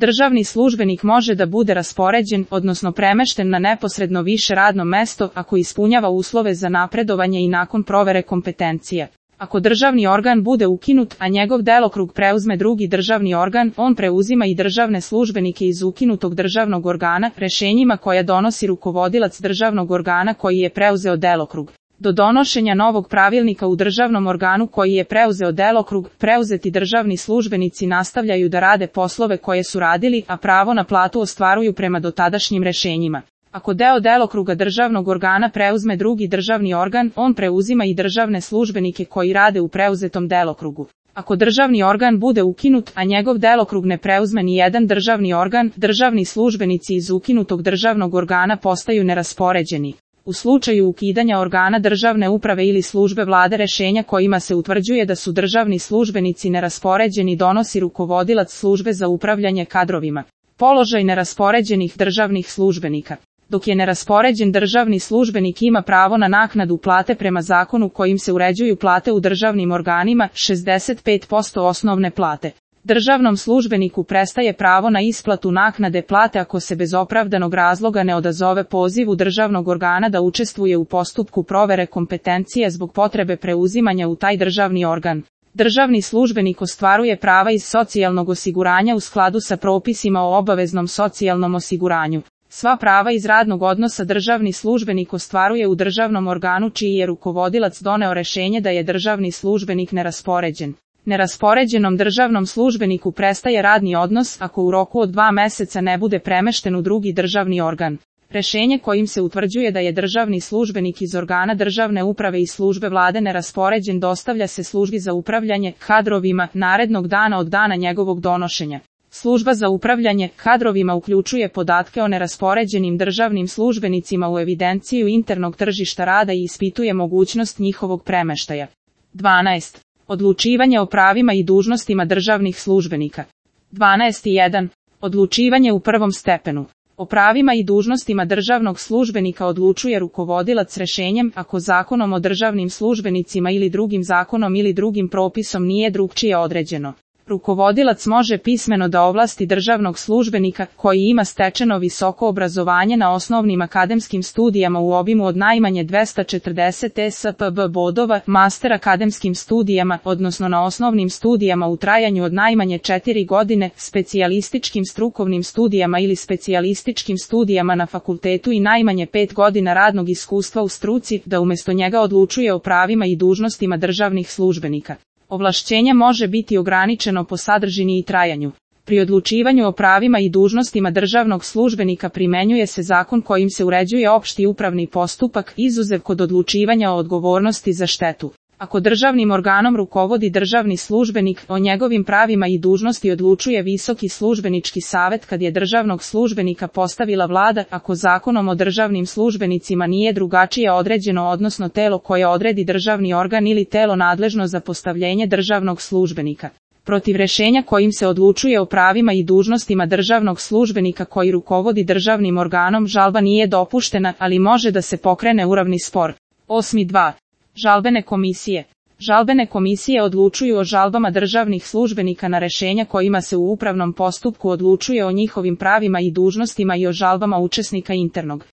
Državni službenik može da bude raspoređen, odnosno premešten na neposredno više radno mesto ako ispunjava uslove za napredovanje i nakon provere kompetencija. Ako državni organ bude ukinut, a njegov delokrug preuzme drugi državni organ, on preuzima i državne službenike iz ukinutog državnog organa, rešenjima koja donosi rukovodilac državnog organa koji je preuzeo delokrug. Do donošenja novog pravilnika u državnom organu koji je preuzeo delokrug, preuzeti državni službenici nastavljaju da rade poslove koje su radili, a pravo na platu ostvaruju prema dotadašnjim rešenjima. Ako deo delokruga državnog organa preuzme drugi državni organ, on preuzima i državne službenike koji rade u preuzetom delokrugu. Ako državni organ bude ukinut, a njegov delokrug ne preuzme ni jedan državni organ, državni službenici iz ukinutog državnog organa postaju neraspoređeni. U slučaju ukidanja organa državne uprave ili službe vlade rešenja kojima se utvrđuje da su državni službenici neraspoređeni donosi rukovodilac službe za upravljanje kadrovima. Položaj neraspoređenih državnih službenika. Dok je neraspoređen državni službenik ima pravo na naknadu plate prema zakonu kojim se uređuju plate u državnim organima, 65% osnovne plate. Državnom službeniku prestaje pravo na isplatu naknade plate ako se bez opravdanog razloga ne odazove pozivu državnog organa da učestvuje u postupku provere kompetencije zbog potrebe preuzimanja u taj državni organ. Državni službenik ostvaruje prava iz socijalnog osiguranja u skladu sa propisima o obaveznom socijalnom osiguranju. Sva prava iz radnog odnosa državni službenik ostvaruje u državnom organu čiji je rukovodilac doneo rešenje da je državni službenik neraspoređen. Neraspoređenom državnom službeniku prestaje radni odnos ako u roku od 2 meseca ne bude premešten u drugi državni organ. Rešenje kojim se utvrđuje da je državni službenik iz organa državne uprave i službe vlade neraspoređen dostavlja se službi za upravljanje kadrovima narednog dana od dana njegovog donošenja. Služba za upravljanje kadrovima uključuje podatke o neraspoređenim državnim službenicima u evidenciju internog tržišta rada i ispituje mogućnost njihovog premeštaja. 12. Odlučivanje o pravima i dužnostima državnih službenika. 12.1. Odlučivanje u prvom stepenu. O pravima i dužnostima državnog službenika odlučuje rukovodilac rešenjem ako zakonom o državnim službenicima ili drugim zakonom ili drugim propisom nije drugčije određeno. Rukovodilac može pismeno da ovlasti državnog službenika koji ima stečeno visoko obrazovanje na osnovnim akademskim studijama u obimu od najmanje 240 ESPB bodova, master akademskim studijama, odnosno na osnovnim studijama u trajanju od najmanje 4 godine, specijalističkim strukovnim studijama ili specijalističkim studijama na fakultetu i najmanje 5 godina radnog iskustva u struci, da umjesto njega odlučuje o pravima i dužnostima državnih službenika. Ovlašćenje može biti ograničeno po sadržini i trajanju. Pri odlučivanju o pravima i dužnostima državnog službenika primenjuje se zakon kojim se uređuje opšti upravni postupak, izuzev kod odlučivanja o odgovornosti za štetu. Ako državnim organom rukovodi državni službenik, o njegovim pravima i dužnosti odlučuje Visoki službenički savet kad je državnog službenika postavila vlada, ako zakonom o državnim službenicima nije drugačije određeno odnosno telo koje odredi državni organ ili telo nadležno za postavljenje državnog službenika. Protiv rešenja kojim se odlučuje o pravima i dužnostima državnog službenika koji rukovodi državnim organom žalba nije dopuštena, ali može da se pokrene upravni spor. 8.2. Žalbene komisije. Žalbene komisije odlučuju o žalbama državnih službenika na rešenja kojima se u upravnom postupku odlučuje o njihovim pravima i dužnostima i o žalbama učesnika internog